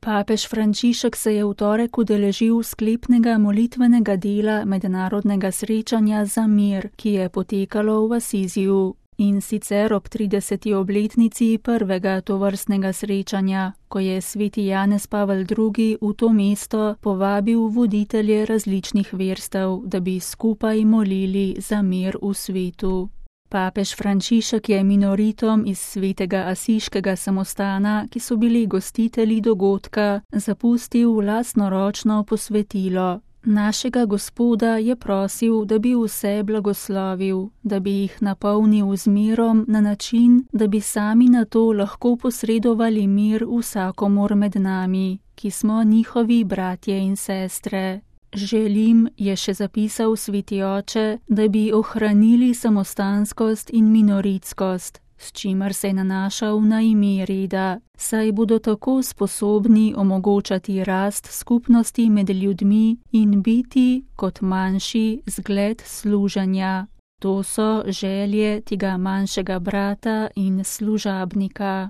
Papež Frančišek se je v torek udeležil sklepnega molitvenega dela mednarodnega srečanja za mir, ki je potekalo v Asiziju. In sicer ob 30. obletnici prvega tovrstnega srečanja, ko je sveti Janez Pavel II. V to mesto povabil voditelje različnih verstev, da bi skupaj molili za mir v svetu. Papež Frančišek je minoritom iz svetega asiškega samostana, ki so bili gostitelji dogodka, zapustil lastnoročno posvetilo. Našega Gospoda je prosil, da bi vse blagoslovil, da bi jih napolnil z mirom na način, da bi sami na to lahko posredovali mir vsakomur med nami, ki smo njihovi bratje in sestre. Želim, je še zapisal sveti oče, da bi ohranili samostanskost in minoritskost, s čimer se je nanašal na ime reda, saj bodo tako sposobni omogočati rast skupnosti med ljudmi in biti, kot manjši, zgled služenja. To so želje tega manjšega brata in služabnika.